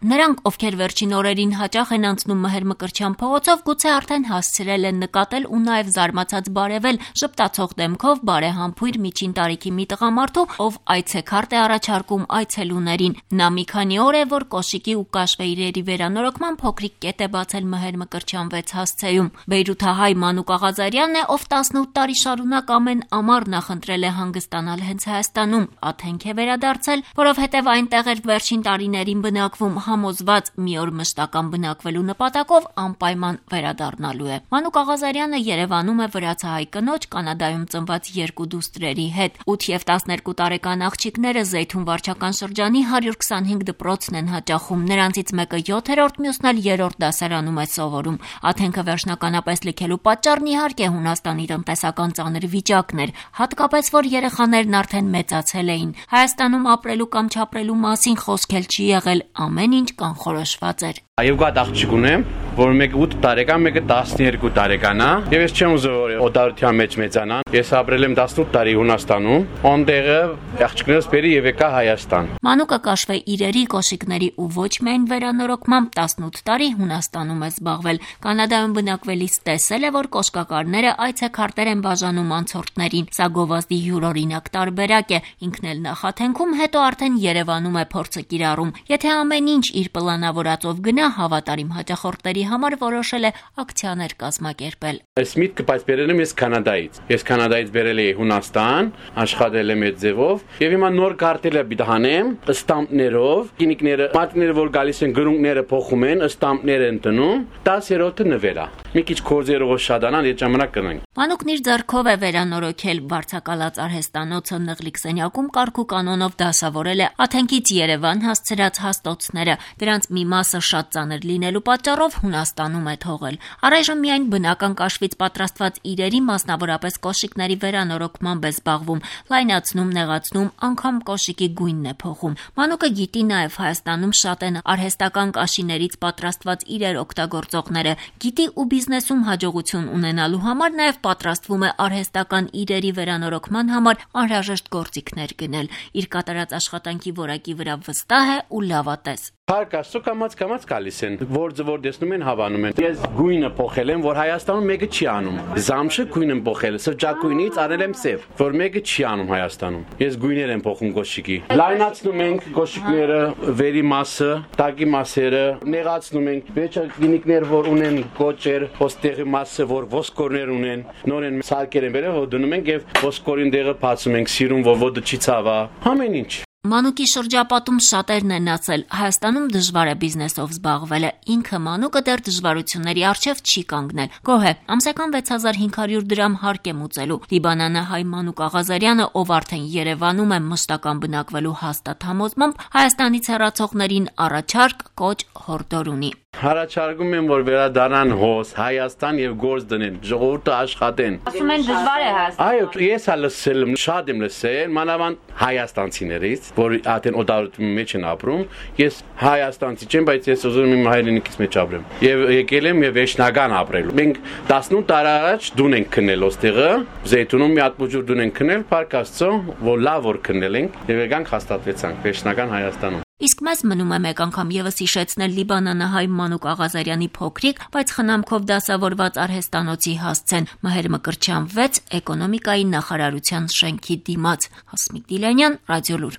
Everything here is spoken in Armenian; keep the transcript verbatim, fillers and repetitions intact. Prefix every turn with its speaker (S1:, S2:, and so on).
S1: Նրանք, ովքեր վերջին օրերին հաճախ են անցնում Մհեր Մկրտչյան փողոցով, գուցե արդեն հասցրել են նկատել ու նաև զարմացած բարևել ժպտացող դեմքով բարեհամբույր միջին տարիքի մի տղամարդու, ով այցեքարտ է առաջարկում այցելուներին։ Նա մի քանի օր է, որ կոշիկի ու կաշվե իրերի վերանորոգման փոքրիկ կետ է բացել Մհեր Մկրտչյան վեց հասցեում։ Բեյրութահայ Մանուկ Աղազարյանն է, ով տասնութ տարի շարունակ ամեն ամառ նախընտրել է հանգստանալ հենց Հայաստանում։ Աթենք է վերադարձել, որովհետև այնտեղ էր վերջին տարիներին բնակվում, համոզված մի օր մշտական բնակվելու նպատակով անպայման վերադառնալու է։ Մանուկ Աղազարյանը Երևանում է վրացահայ կնոջ, Կանադայում ծնված երկու դուստրերի հետ։ ութ և տասներկու տարեկան աղջիկները Զեյթուն վարչական շրջանի հարյուր քսանհինգ դպրոցն են հաճախում։ Նրանցից մեկը յոթերորդ, մյուսն էլ երրորդ դասարանում է սովորում։ Աթենքը վերջնականապես լքելու պատճառն իհարկե Հունաստանի տնտեսական ծանր վիճակն էր, հատկապես որ երեխաներն արդեն մեծացել էին։ Հայաստանում ապրելու կամ չապրելու մասին խոսք էլ չի եղել, ամեն ինչ կանխորոշված էր։
S2: Երկու հատ աղջիկ ունեմ, որ մեկը ութ տարեկան, մեկը տասներկու տարեկան է, եւ ես չեմ ուզում որ օտարության մեջ մեծանան։ Ես ապրել եմ տասնութ տարի Հունաստանում, այնտեղը աղջիկներս բերի եւ եկա Հայաստան։
S1: Մանուկը կաշվե իրերի, կոշիկների ու ոչ միայն վերանորոգմամբ տասնութ տարի Հունաստանում է զբաղվել։ Կանադայում բնակվելիս տեսել է, որ կոշկակարները այցեքարտեր են բաժանում անցորդներին։ Սա գովազդի յուրօրինակ տարբերակ է։ Ինքն էլ նախաթենքում, հետո արդեն Երևանում է փորձը կիրառում։ Եթե ամեն ինչ իր պլանավորածով գնա, հավատարիմ հաճախորդների համար որոշել է ակցիաներ կազմակերպել։
S2: Այս միտքը բայց բերել եմ ես Կանադայից։ Ես Կանադայից բերել եմ Հունաստան, աշխատել եմ այդ ձևով, եւ հիմա նոր կարտել եմ դահանեմ, ստամպներով, գինիկները, մատները որ գալիս են գրունկները փոխում են, ստամպներ են տնում, տասներորդը նվերա։ Մի քիչ կորձերով շադանան, այդ ժամանակ կնենք։
S1: Մանուկն իր ձեռքով է վերանորոգել վարձակալած արհեստանոցը Նղլիկ սենյակում կարգու կանոնով դասավորել է Աթենքից Երևան հասցրած հաստոցները։ Դրանց մի մասը շատ ծանր լինելու պատճառով Հունաստանում է թողել։ Առայժմ միայն բնական կաշվից պատրաստված իրերի, մասնավորապես կոշիկների վերանորոգմամբ է զբաղվում, լայնացնում, նեղացնում, անգամ կոշիկի գույնն է փոխում։ Մանուկը գիտի նաև Հայաստանում շատ են արհեստական կաշիներից պատրաստված իրեր օգտագործողները, գիտի ու բիզնեսում հաջողություն ունենալու համար նաև պատրաստվում է արհեստական իրերի վերանորոգման համար անհրաժեշտ գործիքներ գնել։ Իր կատարած աշխատանքի որակի վրա վստահ է ու լավատես։
S2: Փառք Աստծո, կամաց կամաց գալիս են, որձը որ տեսնում են հավանում են։ Ես գույնը փոխել եմ, որ Հայաստանում մեկը չի անում։ Զամշը գույն եմ փոխել, սրճակույնից արել եմ սև, որ մեկը չի անում Հայաստանում։ Ես գույներ եմ փոխում կոշիկի։ Լայնացնում ենք կոշիկները, վերի մասը, տակի մասերը, նեղացնում ենք։ Վերջը գինիկներ որ ունեն կոճեր, ոստեղի մասը որ ոսկորներ ունեն, նորեն սարքեր են բերել, որ դնում ենք եւ ոսկորին դեղը բացում ենք, սիրուն որ ոդը չի ցավա։ Ամեն ինչ։
S1: Մանուկի շրջապատում շատերն են ասել, Հայաստանում դժվար է բիզնեսով զբաղվելը, ինքը Մանուկը դեռ դժվարությունների առջև չի կանգնել։ Գոհ է, ամսական վեց հազար հինգ հարյուր դրամ հարկ է մուծելու։ Լիբանանահայ Մանուկ Աղազարյանը, ով արդեն Երևանում է մշտական բնակվելու հաստատ համոզմամբ, Հայաստանից հեռացողներին առաջարկ, կոչ, հորդոր ունի։
S2: Հարաճարգում եմ, որ վերադառնան հոս Հայաստան եւ գործ դնեն, ժողովուրդը աշխատեն։
S1: Ասում են դժվար է Հայաստան։
S2: Այո, ես հա լսել եմ, շատ եմ լսել, մանավանդ հայաստանցիներից, որ արդեն օտարության մեջ են ապրում։ Ես հայաստանցի չեմ, բայց ես ուզում եմ իմ հայրենիքից մեջ ապրեմ։ Եվ եկել եմ եւ վերջնական ապրելու։ Մենք տասնութ տարի առաջ դուն ենք քնել ոստեղը, Զեյթունում մի հատ բուժուր դուն ենք քնել, Փառք Աստծո, որ լավ որ քնել ենք եւ եկանք հաստատվեցանք վերջնական Հայաստանում։
S1: Իսկ մեզ մնում է մեկ անգամ եւս հիշեցնել Լիբանանահայ Մանուկ Աղազարյանի փոքրիկ, բայց խնամքով դասավորված արհեստանոցի հասցեն Մհեր Մկրտչյան վեց էկոնոմիկայի նախարարության շենքի դիմաց։ Հասմիկ Դիլանյան, Ռադիոլուր։